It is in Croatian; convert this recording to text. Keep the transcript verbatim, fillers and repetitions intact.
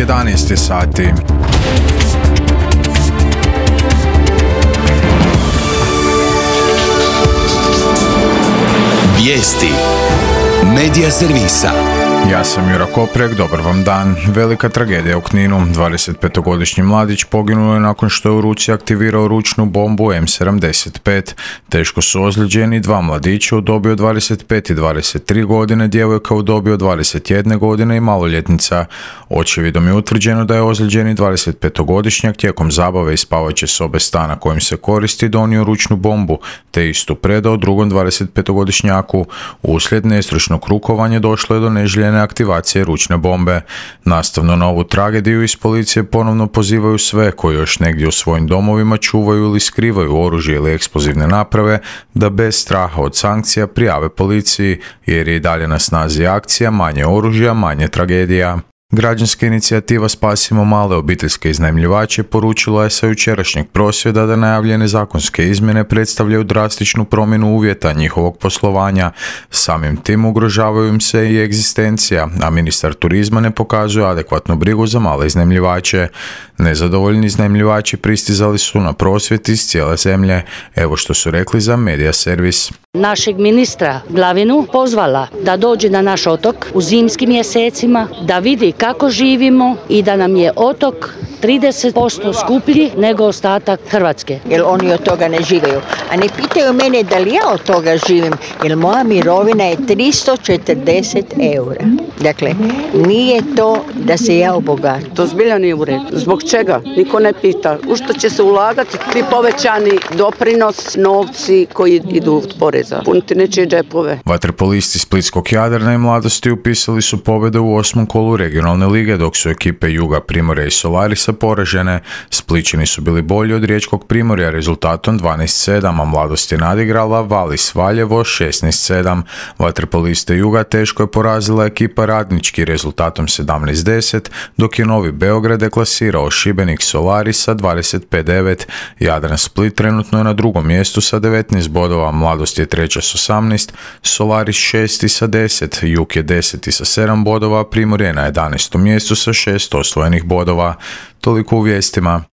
jedanaest sati. Vijesti Medija servisa. Ja sam Jura Koprek, dobar vam dan. Velika tragedija u Kninu. dvadesetpetogodišnji mladić poginuo je nakon što je u ruci aktivirao ručnu bombu em sedamdeset pet. Teško su ozlijeđeni dva mladića u dobi od dvadeset pet i dvadeset tri godine, djevojka u dobi od dvadeset jedne godine i maloljetnica. Očevidom je utvrđeno da je ozlijeđeni dvadesetpetogodišnjak tijekom zabave iz spavaće sobe stana kojim se koristi donio ručnu bombu, te istu predao drugom dvadesetpetogodišnjaku. Uslijed nestručnog rukovanja došlo je do neželjene aktivacije ručne bombe. Nastavno na ovu tragediju iz policije ponovno pozivaju sve koji još negdje u svojim domovima čuvaju ili skrivaju oružje ili eksplozivne naprave da bez straha od sankcija prijave policiji, jer je i dalje na snazi akcija manje oružja, manje tragedija. Građanska inicijativa Spasimo male obiteljske iznajmljivače poručila je sa jučerašnjeg prosvjeda da najavljene zakonske izmjene predstavljaju drastičnu promjenu uvjeta njihovog poslovanja. Samim tim ugrožavaju im se i egzistencija, a ministar turizma ne pokazuje adekvatnu brigu za male iznajmljivače. Nezadovoljni iznajmljivači pristizali su na prosvjed iz cijele zemlje. Evo što su rekli za Medija servis. Našeg ministra Glavinu pozvala da dođe na naš otok u zimskim mjesecima, da vidi kako živimo i da nam je otok trideset posto skuplji nego ostatak Hrvatske. Jer oni od toga ne živaju. A ne pitaju mene da li ja od toga živim, jer moja mirovina je tristo četrdeset eura. Dakle, nije to da se ja obogatim. To zbilja nije u redu. Zbog čega? Niko ne pita. U što će se ulagati ti povećani doprinos, novci koji idu od poreza? Puniti nečije džepove. Vaterpolisti Splitskog Jadrana i Mladosti upisali su pobjede u osmom kolu regionalne lige, dok su ekipe Juga, Primorja i Solarisa poražene. Splićani su bili bolji od riječkog Primorja rezultatom dvanaest sedam, a Mladost je nadigrala Valis Valjevo šesnaest sedam. Vaterpoliste Juga teško je porazila ekipa Radnički rezultatom sedamnaest deset, dok je Novi Beograd deklasirao Šibenik Solarisa dvadeset pet devet. Jadran Split trenutno je na drugom mjestu sa devetnaest bodova, Mladost je treća s osamnaest, Solaris šesti sa deset, Jug je deseti sa sedam bodova, Primorje na jedanaestom mjestu sa šest osvojenih bodova. Toliko u vijestima.